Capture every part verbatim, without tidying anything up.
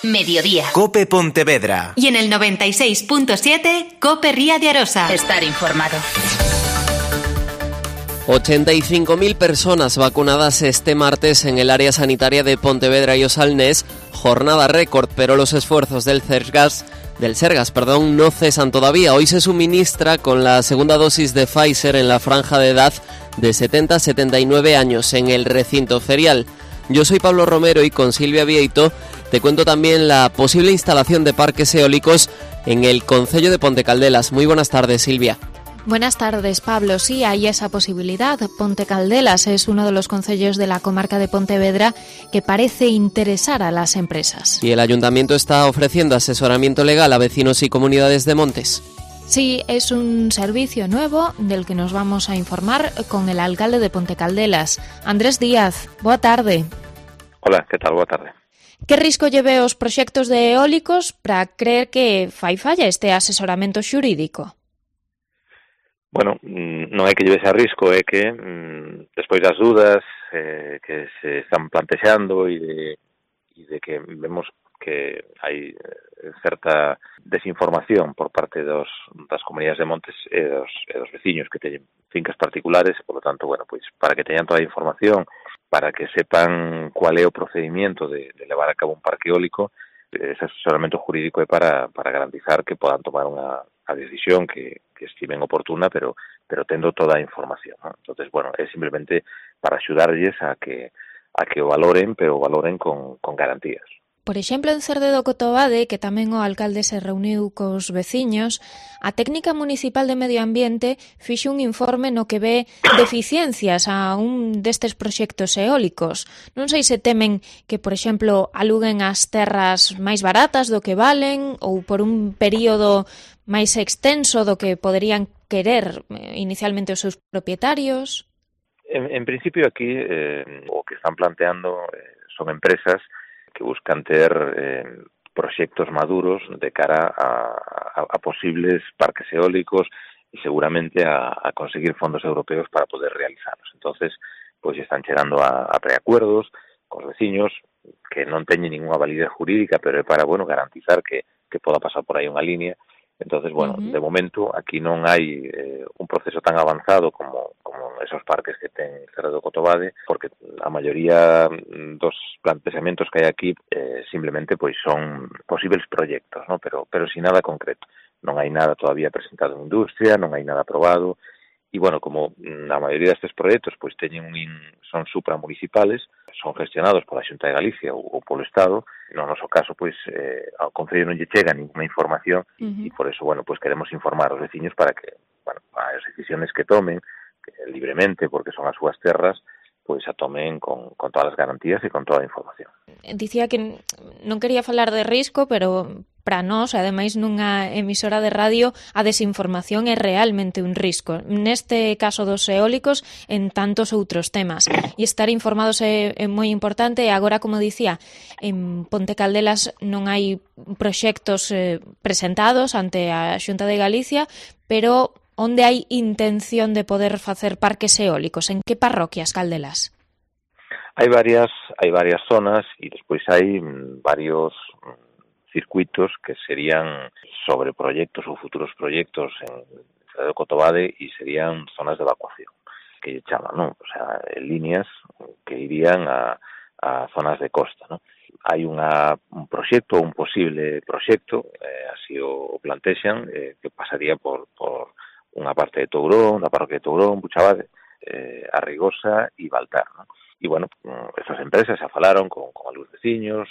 Mediodía. COPE Pontevedra. Y en el noventa y seis punto siete, COPE Ría de Arosa. Estar informado. ochenta y cinco mil personas vacunadas este martes en el área sanitaria de Pontevedra y Osalnés, jornada récord, pero los esfuerzos del Sergas, del Sergas, perdón, no cesan todavía. Hoy se suministra con la segunda dosis de Pfizer en la franja de edad de setenta a setenta y nueve años en el recinto ferial. Yo soy Pablo Romero y con Silvia Vieito te cuento también la posible instalación de parques eólicos en el concello de Pontecaldelas. Muy buenas tardes, Silvia. Buenas tardes, Pablo. Sí, hay esa posibilidad. Pontecaldelas es uno de los concellos de la comarca de Pontevedra que parece interesar a las empresas. Y el ayuntamiento está ofreciendo asesoramiento legal a vecinos y comunidades de montes. Sí, es un servicio nuevo del que nos vamos a informar con el alcalde de Pontecaldelas, Andrés Díaz. Boa tarde. Hola, que tal? Boa tarde. Que risco lleve os proxectos de eólicos para creer que fai falla este asesoramento xurídico? Bueno, non é que llevese a risco, é que mm, despois das dudas eh, que se están plantexando e de, e de que vemos que hai certa desinformación por parte dos, das comunidades de montes e dos, e dos veciños que teñen fincas particulares, e, por lo tanto, bueno, pois para que teñan toda a información, para que sepan cuál é o procedimiento de, de levar a cabo un parque eólico, ese asesoramento jurídico é para, para garantizar que podan tomar unha a decisión que, que estimen oportuna, pero pero tendo toda a información, ¿no? Entonces, bueno, é simplemente para axudarlles a que a que o valoren, pero o valoren con, con garantías. Por exemplo, en Cerde do Cotobade, que tamén o alcalde se reuniu cos veciños, a técnica municipal de medio ambiente fixo un informe no que ve deficiencias a un destes proxectos eólicos. Non sei se temen que, por exemplo, aluguen as terras máis baratas do que valen ou por un período máis extenso do que poderían querer inicialmente os seus propietarios. En, en principio aquí eh, o que están planteando eh, son empresas que buscan ter eh, proxectos maduros de cara a, a, a posibles parques eólicos e seguramente a, a conseguir fondos europeos para poder realizarlos. Entonces, pois pues, están chegando a, a preacuerdos cos veciños que non teñen ninguna validez jurídica, pero é para, bueno, garantizar que, que poda pasar por aí unha línea. Entonces, bueno, uh-huh. de momento aquí non hai eh, un proceso tan avanzado como, como esos parques que ten Cerde do Cotobade, porque a maioría dos planteamentos que hai aquí eh, simplemente pois son posibles proxectos, ¿no? pero pero sin nada concreto. Non hai nada todavía presentado en industria, non hai nada aprobado, e, bueno, como a maioría destes proxectos pois teñen un, son supramunicipales, son gestionados pola Xunta de Galicia ou, ou polo Estado, no noso caso, pois, eh, ao Concello non lle chega ninguna información uh-huh. e por eso, bueno, pois queremos informar aos veciños para que, bueno, as decisiones que tomen que, libremente, porque son as súas terras, pois a tomen con, con todas as garantías e con toda a información. Dicía que non quería falar de risco, pero para nós, ademais nunha emisora de radio, a desinformación é realmente un risco. Neste caso dos eólicos, en tantos outros temas. E estar informados é, é moi importante. E agora, como dicía, en Pontecaldelas non hai proxectos eh, presentados ante a Xunta de Galicia, pero onde hai intención de poder facer parques eólicos? En que parroquias, Caldelas? Hai varias, hai varias zonas e despois hai varios circuitos que serían sobre proxectos ou futuros proxectos en Cerde do Cotobade e serían zonas de evacuación, que lle chaman, non? O sea, líneas que irían a, a zonas de costa, non? Hai unha, un proxecto, un posible proxecto, eh, así o plantexan, eh, que pasaría por, por unha parte de Tourón, da parroquia de Tourón, Buchabade, eh, Arrigosa e Baltar, non? E, bueno, estas empresas xa falaron con, con algúns veciños,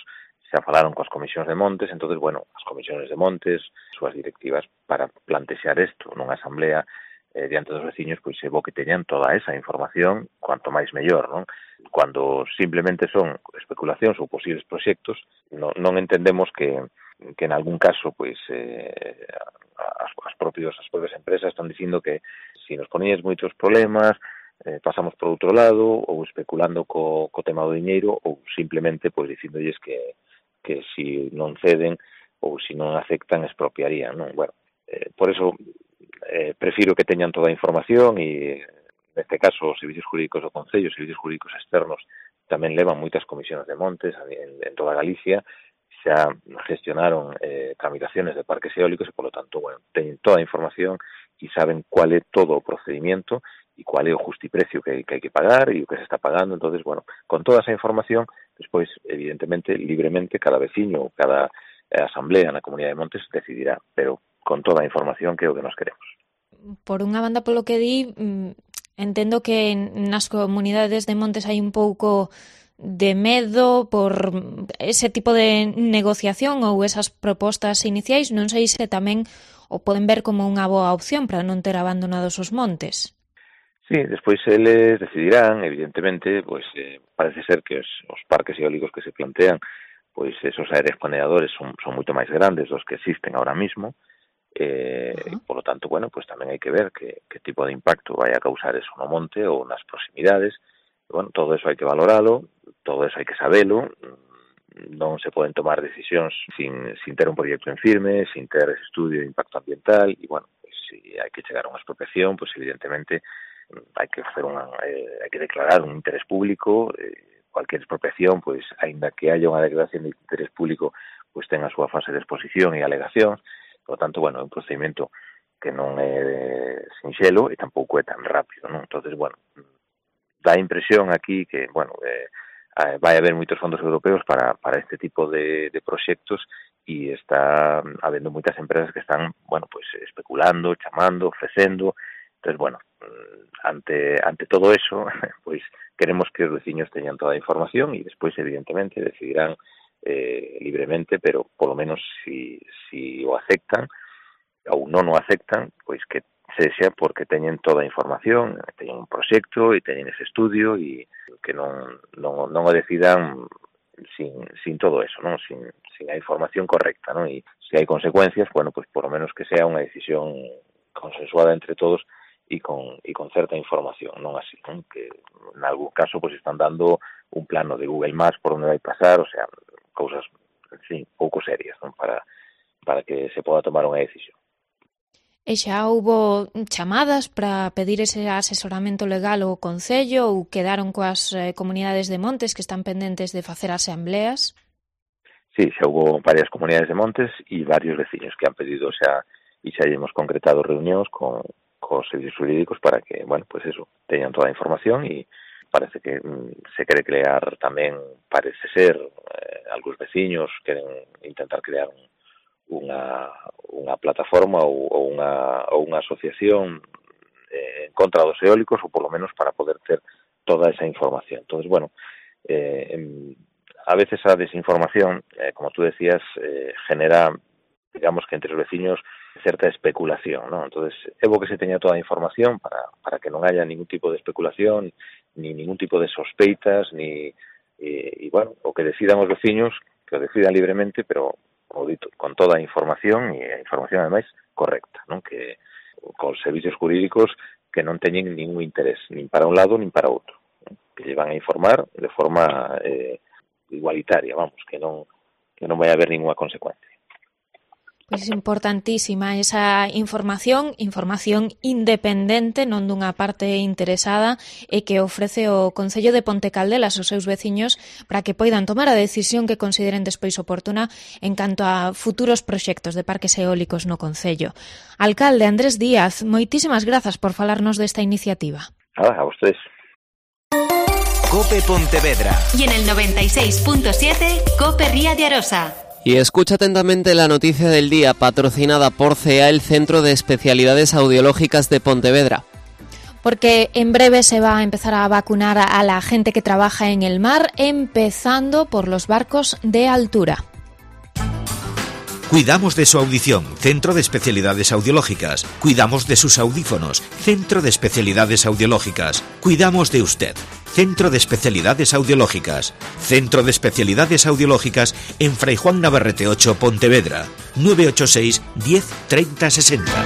xa falaron coas comisións de montes, entonces, bueno, as comisións de montes, súas directivas para plantexar isto nunha asamblea eh, diante dos veciños, pois é bo que teñan toda esa información, cuanto máis mellor, non? Cuando simplemente son especulacións ou posibles proxectos, non, non entendemos que, que en algún caso, pois, eh, as, as, propios, as propias empresas están dicindo que se nos poñedes moitos problemas, eh, pasamos por outro lado, ou especulando co, co tema do diñeiro, ou simplemente, pois, dicindolles que que si non ceden ou si non aceptan expropiarían, non? Bueno, eh, por eso eh, prefiro que teñan toda a información e neste caso os servicios jurídicos do Concello, os servicios jurídicos externos tamén levan moitas comisións de montes en, en toda Galicia, xa gestionaron eh, tramitaciones de parques eólicos e, polo tanto, bueno, teñen toda a información e saben cuál é todo o procedimiento e cuál é o justiprecio que, que hai que pagar e o que se está pagando. Entonces, bueno, con toda esa información, despois, evidentemente, libremente, cada veciño ou cada eh, asamblea na Comunidade de Montes decidirá, pero con toda a información que é o que nos queremos. Por unha banda, polo que di, entendo que nas comunidades de montes hai un pouco de medo por ese tipo de negociación ou esas propostas iniciais. Non sei se tamén o poden ver como unha boa opción para non ter abandonados os montes. Sí, despois eles decidirán, evidentemente, pois eh, parece ser que os, os parques eólicos que se plantean, pois esos aéreos planeadores son, son moito máis grandes dos que existen ahora mismo, eh, uh-huh. Por lo tanto, bueno, pues tamén hai que ver que, que tipo de impacto vai a causar eso no monte ou nas proximidades. E, bueno, todo eso hai que valoralo, todo eso hai que sabelo, non se poden tomar decisións sin, sin ter un proxecto en firme, sin ter ese estudio de impacto ambiental, e, bueno, pues, si hai que chegar a unha expropiación, pues evidentemente hai que facer unha, eh, hai que declarar un interés público, eh, cualquier expropiación, pois, aínda que haya unha declaración de interés público, pois ten a súa fase de exposición e alegación. Por lo tanto, bueno, é un procedimento que non é sinxelo e tampouco é tan rápido, non? Entonces, bueno, dá a impresión aquí que, bueno, eh, vai haber moitos fondos europeos para, para este tipo de, de proxectos e está habendo moitas empresas que están, bueno, pues especulando, chamando, ofrecendo. Entonces, bueno, ante ante todo eso, pues queremos que os veciños teñan toda a información e despois, evidentemente, decidirán eh, libremente, pero polo menos si, si o aceptan ou non o aceptan, pois que sexa porque teñen toda a información, teñen un proxecto e teñen ese estudio e que non, non, non o decidan sin, sin todo eso, non, sin, sin a información correcta, non, e se hai consecuencias, bueno, pues por lo menos que sea unha decisión consensuada entre todos e con, e con certa información, non así, non? Que en algún caso pues están dando un plano de Google Maps por onde vai pasar, o sea, cousas, en fin, pouco serias, non? Para, para que se poda tomar unha decisión. E xa houbo chamadas para pedir ese asesoramento legal ao Concello ou quedaron coas eh, comunidades de montes que están pendentes de facer asambleas? Sí, xa houbo varias comunidades de montes e varios veciños que han pedido, o sea, e xa hemos concretado reunións con cos servicios jurídicos para que, bueno, pues eso, teñan toda a información e parece que mm, se quere crear tamén, parece ser, eh, algúns veciños queren intentar crear un, unha, unha plataforma ou, ou, unha, ou unha asociación eh, en contra dos eólicos ou polo menos para poder ter toda esa información. Entonces, bueno, eh, en, a veces a desinformación, eh, como tú decías, eh, genera, digamos que entre os veciños certa especulación, ¿no? Entonces, é bo que se teña toda a información para, para que non haya ningún tipo de especulación, ni ningún tipo de sospeitas, ni, e, e bueno, o que decidan os veciños, que o decidan libremente, pero, como dito, con toda a información, e a información, ademais, correcta, ¿no? Que con servicios jurídicos que non teñen ningún interés, nin para un lado, nin para outro, ¿no? Que lle van a informar de forma eh, igualitaria, vamos, que non, que non vai haber ninguna consecuencia. Pois é importantísima esa información, información independente, non dunha parte interesada, e que ofrece o Concello de Ponte Caldelas aos seus veciños para que poidan tomar a decisión que consideren despois oportuna en canto a futuros proxectos de parques eólicos no Concello. Alcalde Andrés Díaz, moitísimas grazas por falarnos desta iniciativa. Ah, a vostedes. COPE Pontevedra. Y en el noventa y seis punto siete, COPE Ría de Arosa. Y escucha atentamente la noticia del día, patrocinada por C E A, el Centro de Especialidades Audiológicas de Pontevedra. Porque en breve se va a empezar a vacunar a la gente que trabaja en el mar, empezando por los barcos de altura. Cuidamos de su audición, Centro de Especialidades Audiológicas. Cuidamos de sus audífonos, Centro de Especialidades Audiológicas. Cuidamos de usted, Centro de Especialidades Audiológicas. Centro de Especialidades Audiológicas en Fray Juan Navarrete ocho, Pontevedra. nueve ocho seis, diez, treinta, sesenta.